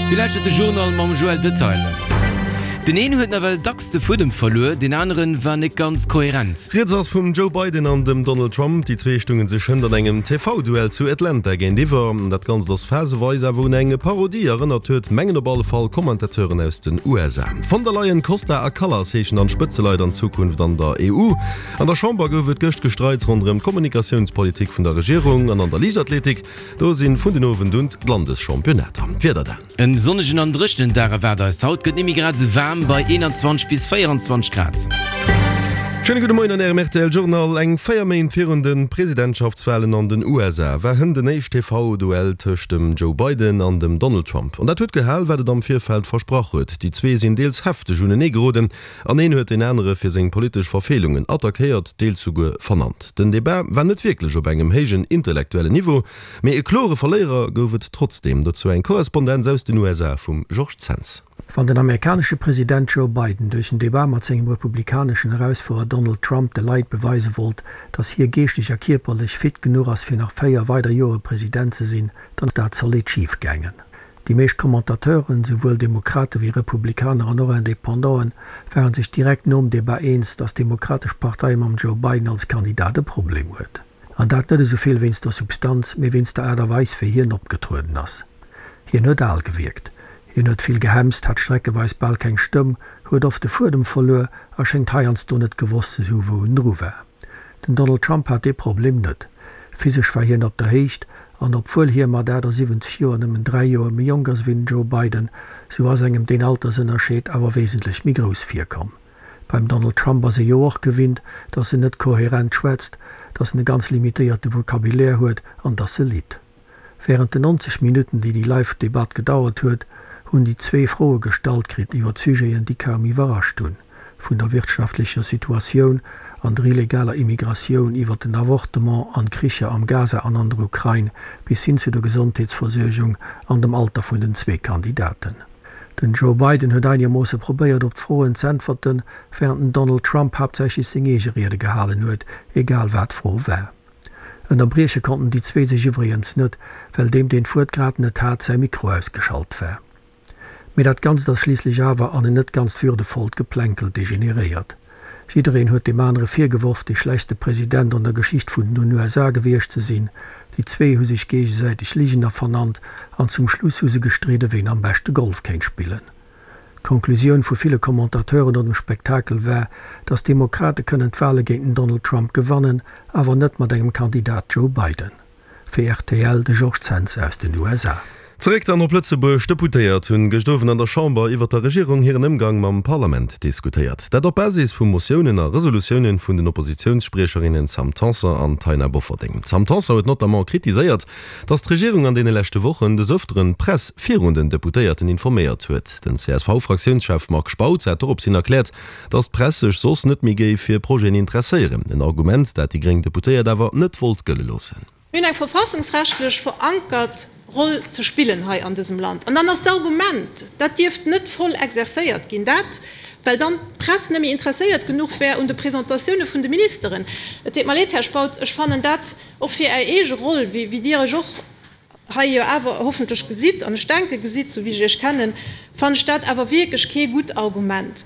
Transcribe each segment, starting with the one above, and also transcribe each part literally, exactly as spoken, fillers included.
Dir lauschtert de Journal mam Joël Detaille. Den een huet nawell dacks de Fuedem verluer, deen aneren war net ganz kohärent. Rieds ass vum Joe Biden an dem Donald Trump. Déi zwee stungen sech hënt an engem T V Duell zu Atlanta géintiwwer. Dat Ganzt ass phaseweis awer un eng Parodie erënnert huet, mengen op alle Fall Commentateuren aus den U S A. Von der Leyen, Costa a Kallas heeschen dann d'Spëtzeleit an Zukunft an der E U. An der Chamber gouf et gëscht Gestreits ronderëm d'Kommunikatiounspolitik vun der Regierung an an der Liichtathletik, do sinn vun den Owend un d'Landeschampionnat. Wieder dann. En sonnegen an dréchenen Dag erwaart eis haut, gëtt net méi grad esou waarm bei eenanzwanzeg bis véieranzwanzeg Grad. Schéine gudde Moien an Ärem R T L Journal. Eng véier Méint virun de Presidentschaftswalen an den U S A war hënt den éischt T V-Duell tëscht dem Joe Biden an dem Donald Trump. An dat huet gehal, wat et am Virfeld versprach huet. Déi zwee sinn deels hefteg unenee geroden an een huet deen anere fir seng politesch Verfeelungen attackéiert, deels souguer vernannt. Den Debat war net wierklech op engem héijen intellektuellen Niveau, mee e klore Verléierer gouf et trotzdeem. Dozou eng Korrespondenz aus den U S A vum Georges Zens. Wann den amerikanesche President Joe Biden duerch en Debat mat sengem republikaneschen Erausfuerder Donald Trump de Leit beweise wollt, datt hie geeschteg a kierperlech fit genuch ass fir nach véier weider Jore President ze sinn, dann ass dat zolidd schif gaangen. Déi meescht Commentateuren, souwuel Demokrate wéi Republikaner an och Independanten, ware sech direkt nom Debat eens, datt d'Demokratesch Partei mam Joe Biden als Kandidat e Problem huet. An dat net esou vill wéinst der Substanz, mee wéinst der Aart a Weis wéi hien opgetrueden ass. Hien huet al gewierkt. Hien huet vill gehemst, hat streckeweis bal keng Stëmm, huet oft de Fuedem verluer a schéngt heiansdo net gewosst ze hu wou en dru war. Den Donald Trump hat dee Problem net. Physesch war hien op der Héicht an obwuel hie mat achtasiwwenzeg Joer nëmmen dräi Joer méi jonk ass wéi den Joe Biden, sou ass engem deen Altersënnerscheed awer wesentlech méi grouss virkomm. Beim Donald Trump ass ee jo och gewinnt, datt en net kohärent schwätzt, datt en e ganz limitéierte Vocabulaire huet an datt e litt. Wärend den nonzeg Minutten, déi déi Live-Debatt gedauert huet, hunn déi zwee Froe gestallt kritt iwwer Sujeten, déi kaum iwwerrascht hunn, vun der wirtschaftlecher Situatioun an der illegaler Immigratioun iwwer den Avortement an d'Kricher am Gaza an an der Ukrain bis hin zu der Gesondheetsversuergung an dem Alter vun den zwee Kandidaten. Den Joe Biden huet einegermoosse probéiert op d'Froen z'äntwerten, wärend den Donald Trump haaptsächlech seng eege Riede gehalen huet, egal wat d'Fro war. Ënnerbrieche konnten déi zwee sech iwwregens net, well deem deen d'Wuert grad net hat, säi Mikro ausgeschalt war. Mee dat Ganzt ass schliisslech awer an en net ganz würdevollt Geplänkel degeneréiert. Jiddereen huet deem anere virgeworf, dee schlechtste President an der Geschicht vun den U S A gewiescht ze sinn, déi zwee hu sech géigesäiteg Ligener vernannt an zum Schluss hu se gestridde ween am beschte Golf kéint spillen. D'Konklusioun vu ville Commentateuren no dem Spektakel war, datt d'Demokrate kënnen d'Wale géint den Donald Trump gewannen, awer net mat engem Kandidat Joe Biden. Fir R T L de Georges Zens aus den U S A. Zeréck dann op Lëtzebuerg. Deputéiert hunn gëscht Owend an der Chamber iwwer der Regierung hiren Ëmgang mam Parlament diskutéiert. Dat op Basis vu Motiounen a Resolutiounen vun den Oppositiounsspriecherinnen Sam Tanson an Taina Bofferding. D'Sam Tanson huet notamment kritiséiert, datt d'Regierung an deene leschte Wochen des Ëfteren d'Press virun den Deputéierten informéiert huet. Den C S V-Fraktiounschef Marc Spautz hat doropshin erkläert, datt d'Press sech soss net méi géif fir Projeten interesséieren. En Argument, dat déi gréng Deputéiert awer net wollt gëlle loossen. Mir hunn eng verfassungsrechtlech verankert Roll ze spillen hei an dësem Land. An dann ass d'Argument, dat dierft net voll exerzéiert ginn, dat well dann d'Press net méi interesséiert genuch wär un de Presentatioune vun de Ministeren. Et deet mer leed, Här Spautz, ech fannen dat och fir Är eege Roll, wéi Dir Iech och hei jo awer hoffentlech gesitt, an ech denke gesitt, sou wéi ech Iech kennen, fannen ech dat awer wierklech kee gutt Argument.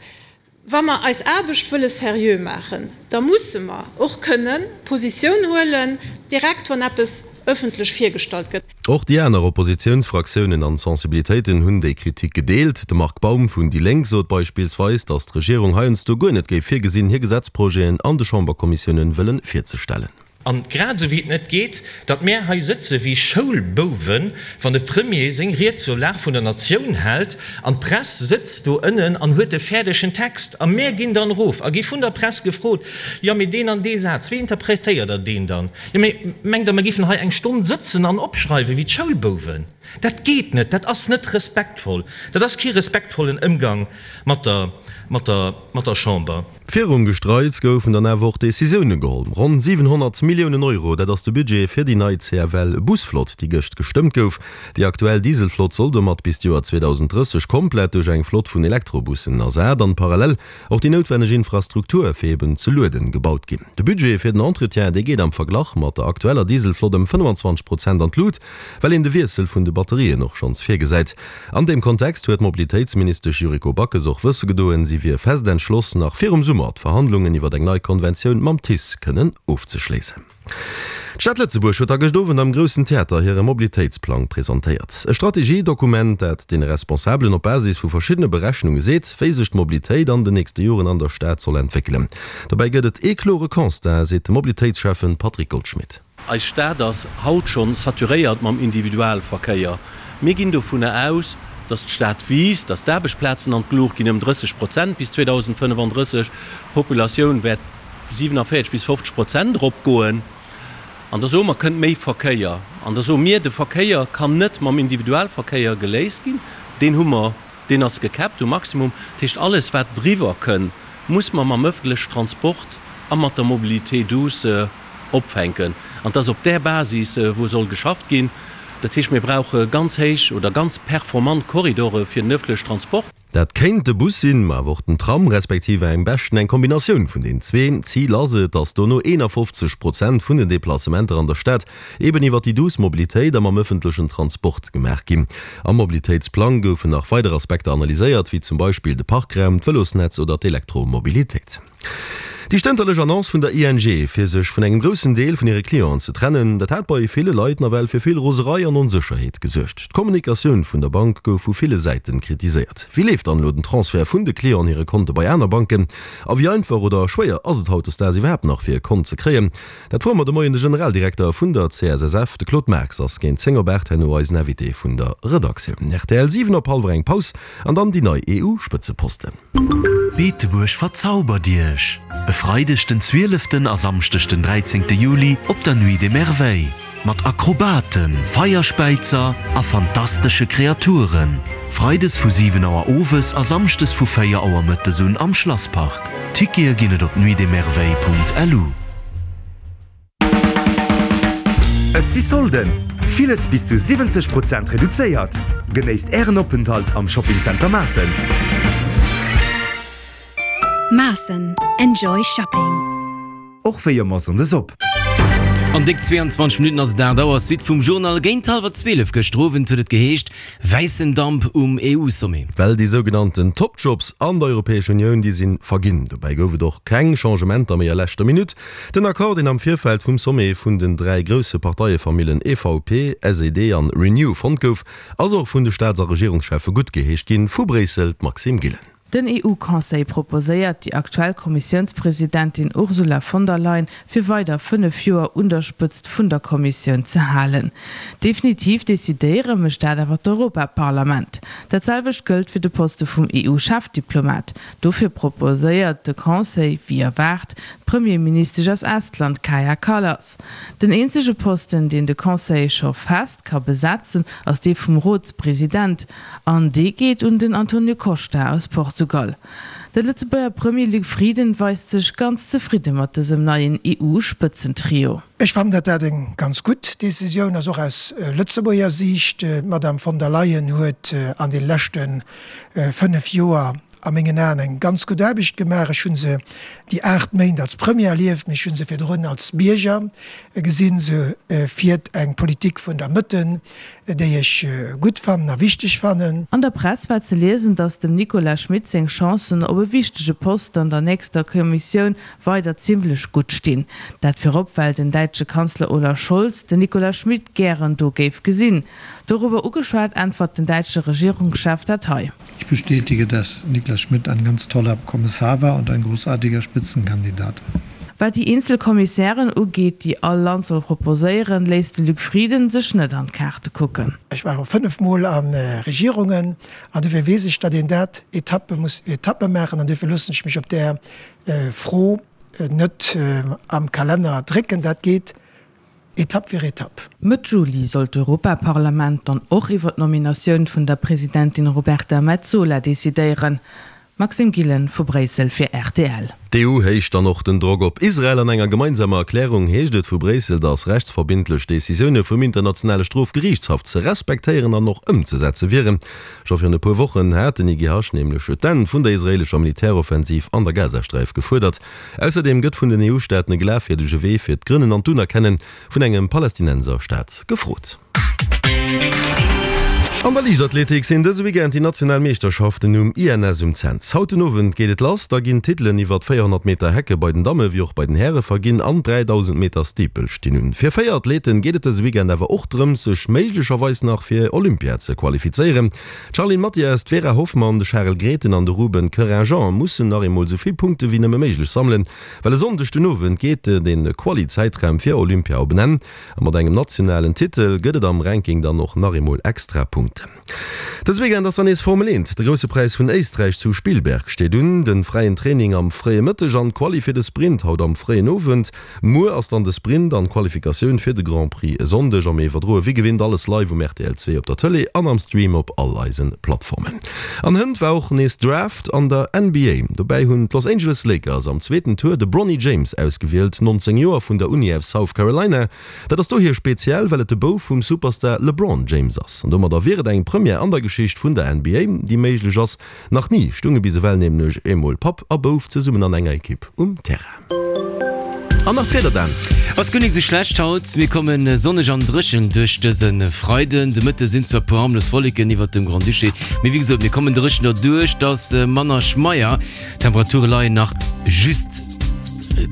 Wa mer eis Aarbecht wëlle seriö maachen, da musse mer och kënnen Positioun huelen, direkt wann eppes ëffentlech virgestallt gëtt. Och déi aner Oppositiounsfraktiounen an Sensibilitéiten hunn déi Kritik gedeelt. De Marc Baum vun déi Lénk sot beispillsweis, datt d'Regierung heiansdo guer net géif virgesinn, hir Gesetzprojeten an de Chamberkommissiounen wëllen virzestellen. A grad esou wéi et net geet, datt mär hei sëtze wéi Schoulbouwen, wann de Premier seng Ried zur Lag vun der Natioun hält an d'Press sëtzt do ënnen an huet de fäerdegen Text a mär ginn dann erof a gi vun der Press gefrot, Jo, mee deen an dee Saz, wéi interpretéiert Der deen dann? Jo, mee mengt Der, mer géifen hei eng Stonn sëtzen an opschreiwe wéi d'Schoulbouwen? Dat geet net, dat ass net respektvoll, dat ass kee respektvollen Ëmgang mat der, mat der, mat der Chamber. Virum Gestreits goufen dann awer och Decisioune geholl. Ronn siwenhonnert Milliounen Euro, dat ass de Budget fir déi nei C F L-Busflott, déi gëscht gestëmmt gouf. Déi aktuell Dieselflott soll domat bis d'Joer zweedausend drësseg komplett duerch eng Flott vun Elektrobussen ersat an parallel och déi noutwenneg Infrastruktur fir eben ze lueden gebaut ginn. De Budget fir den Entretien, dee geet am Verglach mat der aktueller Dieselflott ëm fënnfanzwanzeg Prozent an d'Lut, well een de Wiessel vun de Batterien och schonns virgesäit. An deem Kontext huet d'Mobilitéitsministesch Yuriko Backes och wësse gedoen, si wier fest entschloss, nach virum Summer d'Verhandlungen iwwer eng nei Konventioun mam T I C E kënnen ofzeschléissen. D'Stad Lëtzebuerg huet da gëscht Owend am Groussen Theater hire Mobilitéitsplang presentéiert. E Strategiedokument, dat deene Responsabelen op Basis vu verschiddene Berechnunge seet, wéi sech d'Mobilitéit an den nächste Joren an der Stad soll entwéckelen. Dobäi gëtt et ee klore Constat, seet de Mobilitéitsschäffen Patrick Goldschmidt. Eis Stad ass haut schonn saturéiert mam Individualverkéier. Mir ginn dovunner aus, dass d'Stad wiisst, dass d'Aarbechtsplazen an d'Luucht ginn ëm drësseg Prozent bis zweedausendfënnefandrësseg, d'Populatioun wäert siewenundvierzig bis fofzeg Prozent eropgoen. An da soe mer, kënnt méi Verkéier. An da soe mir, de Verkéier kann net mam Individualverkéier geléist ginn, deen hu mer, deen ass gecapped um Maximum. Dat heescht, alles wat driwwer kënn, muss mer mam ëffentlechen Transport a mat der Mobilité douce opfänken. An et ass op där Basis, wou soll geschafft ginn. Dat heescht, mir brauche ganz héich oder ganz performant Korridore fir den ëffentlechen Transport. Dat kéint de Bus sinn, ma awer och den Tram, respektiv am beschten eng Kombinatioun vun den zwee. Zil ass et, dass dono eenafofzeg Prozent vun den Deplacementer an der Stad eben iwwer déi douce Mobilitéit a mam ëffentlechen Transport gemaach ginn. Am Mobilitéitsplang goufen nach weider Aspekter analyséiert, wéi zum Beispill de Parkraum, d'Vëlosnetz oder d'Elektromobilitéit. Déi stënterlech Annonce vun der I N G, fir sech vun engem groussen Deel vun hire Clienten ze trennen, dat hat bei ville Leit nawell fir vill Roserei an Onsécherheet gesuergt. D'Kommunikatioun vun der Bank gouf vu ville Säiten kritiséiert. Wéi leeft dann elo den Transfert vun de Clienten hire Konte bei aner Banken? A wéi einfach oder schwéier ass et hautdesdaags iwwerhaapt nach fir e Kont ze kréien? Dat froe mer de Moien de Generaldirekter vun der C S S F. De Claude Marx ass géint zéng op aacht herno eisen Invité vun der Redaktioun. R T L siwen op hallwer eng Paus an dann déi nei E U-Spëtzeposten. Beetebuerg verzaubert Iech! E Freideg den zwieleften a Samschdeg den dräizéngte Juli op der Nuit des Merveilles. Mat Akrobaten, Feierspäizer a fantastesche Kreaturen. Freides vu siwen Auer owes a samschdes vu véier Auer mëttes un am Schlasspark. Tickete ginn et op nuitdesmerveilles Punkt lu. Et si Solden! Villes bis zu siwwenzeg Prozent reduzéiert. Genéisst Ären Openthalt am Shopping Center Maassen. Maassen. Enjoy shopping. Och wéi ëmmer sonndes op. An déck zweeanzwanzeg Minutten ass et aacht Auer. Suite vum Journal. Géint hallwer zwielef gëschter Owend huet et geheescht, wäissen Damp um E U-Sommet. Well déi sougenannten Top-Jobs an der Europäescher Unioun, déi si verginn. Dobäi gouf et och keng Changementer méi a leschter Minutt. Den Accord, deen am Virfeld vum Sommet vun den dräi grousse Parteiefamillen E V P, S E D an Renew fonnt gouf, ass och vun de Staats a Regierungscheffe guttgeheescht ginn. Vu Bréissel d'Maxime Gillen. Den E U-Conseil proposéiert déi aktuell Kommissiounspresidentin Ursula von der Leyen fir weider fënnef Joer un der Spëtzt vun der Kommissioun ze halen. Definitiv decidéiere mécht dat awer d'Europaparlament. Dat selwecht gëllt fir de Poste vum E U-Chefdiplomat. Dofir proposéiert de Conseil, wéi erwaart, d'Premierministesch aus Estland Kaja Kallas. Den eenzege Posten, deen de Conseil scho fest ka besetzen, ass dee vum Rotspresident. An dee geet un den Antonio Costa aus Portugal. De Lëtzebuerger Premier Luc Frieden weist sech ganz zefridde mat dësem neien E U-Spëtzentrio. Ech fannen, datt dat eng ganz gutt Decisioun ass, och aus Lëtzebuerger Siicht. D'Madame von der Leyen huet an de leschte fënnef Joer a mengen Aen eng ganz gutt Aarbecht gemaach. Ech hu se déi aacht Méint als Premier erlieft, mee ech hu se virdrun als Bierger gesinn. Se fiert eng Politik vun der Mëtte, déi ech gutt fannen a wichteg fannen. An der Press war ze liesen, datt dem Nicolas Schmit seng Chancen op e wichtege Posten an der nächster Kommissioun weider zimmlech gutt stinn. Dat virop, well den däitsche Kanzler Olaf Scholz den Nicolas Schmit gären do géif gesinn. Dorobber ugeschwat äntwert den däitsche Regierungschef dat hei. Ich bestätige, dass Nicolas Schmit ein ganz toller Kommissar war und ein großartiger Spitzenkandidat. Wat déi eenzel Kommissären ugeet, déi all Land soll proposéieren, léisst de Luc Frieden sech net an d'Kaarte kucken. Ech war fënnef Mol a Regierungen an dofir weess ech, datt een dat Etappe muss Etappe maachen an dofir loossen ech mech op där Fro net am Kalenner drécken. Dat geet Etapp fir Etapp. Mëtt Juli soll d'Europaparlament dann och iwwer d'Nominatioun vun der Presidentin Roberta Metsola decidéieren. Maxime Gillen vu Bréissel fir rtl. D'EU héicht dann och den Drock op Israel. An enger gemeinsamer Erklärung heescht et vu Bréissel, datt rechtsverbindlech Decisioune vum internationale Strofgeriichtshaff ze respektéieren an och ëmzesetze wieren. Scho virun e puer Wochen hat den IGH nämlech d'Enn vun der israeelescher Militäroffensiv an der Gazasträif gefuerdert. Ausserdeem gëtt vun den EU-Staaten e glafwierdege Wee fir d'Grënnen an d'Unerkenne vun engem Palästinenserstaat gefrot. An der Liichtathletik sinn dëse Weekend déi national Meeschterschaften um INS um Cents. Haut den Owend geet et lass, da ginn d'Titelen iwwert véierhonnert Meter Hecke bei den Damme wéi och bei den Häre verginn an dräidausend Meter Steeple stinn un. Fir véier Athleten geet et dëse Weekend awer och drëms, sech méiglecherweis nach fir Olympia ze qualifizéieren. D'Charline Mathias, d'Vera Hoffmann, de Charel Grethen an de Ruben Querinjean mussen nach eemol esou vill Punkte wéi nëmme méiglech sammelen, well e Sonndeg den Owend geet de Quali-Zäitraum fir Olympia op en Enn a mat engem nationalen Titel gëtt et am Ranking dann och nach eemol extra Punkten. Dëse Weekend ass dann nees Formel eent. De Grousse Präis vun Éisträich zu Spielberg steet un. De fräien Training am fréie Mëtteg an d'Quali fir de Sprint haut am fréien Owend. Muer ass dann de Sprint an d'Qualifikatioun fir de Grand Prix e Sonndeg. A mir iwwerdroe wéi gewinnt alles live um rtl zwee op der Tëlee an am Stream op all eise Plattformen. An hënt war och nees Draft an der N B A. Dobäi hunn d'Los Angeles Lakers am zweeten Tour de Bronny James ausgewielt, nonzéng Joer, vun der Uni aus South Carolina. Dat ass dohier speziell, well et de Bouf vum Superstar LeBron James ass. An domadder wier et eng Première an der Geschicht vun der N B A, déi méiglech ass. Nach ni stounge bis ewell nämlech eemol Papp a Bouf zesummen an enger Ekipp um Terrain. An nach d'Wieder dann. Ass guer nik sou schlecht haut, mir komme sonneg an dréchen duerch dëse Freiden. De Mëtte sinn zwar e puer harmlos Wolleken iwwert dem Grand-Duché, mee wéi gesot, mir kommen dréchen derduerch, et ass manner schmeier. D'Temperature leien nach just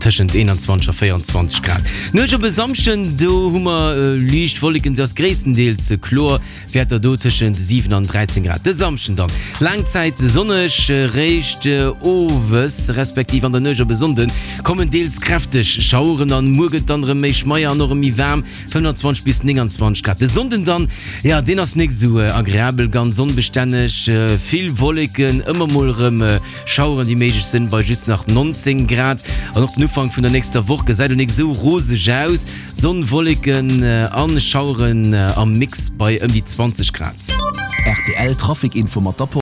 tëschent eenanzwanzeg a véieranzwanzeg Grad. Nuecht op e Samschden, do hu mer liicht Wolleken, se ass gréisstendeels kloer, Wäerter do tëschent siwen an dräizéng Grad. De Samschden dann laang Zäit sonneg, réischt owes respektiv an der Nuecht op e Sonnden kommen deels kräfteg Schaueren an. Muer gëtt dann erëm méi schmeier an och erëm méi waarm, fënnefanzwanzeg bis nénganzwanzeg Grad. De Sonnden dann, jo deen ass nik esou agreabel, ganz onbestänneg, vill Wolleken, ëmmer mol erëm Schaueren déi méiglech sinn, bei just nach nonzéng Grad. An och den Ufank vun der nächster Woch gesäit och nik esou roseg aus, Sonn, Wolleken an Schaueren am Mix bei ëm déi zwanzeg Grad. Rtl Trafic Info mat der Post.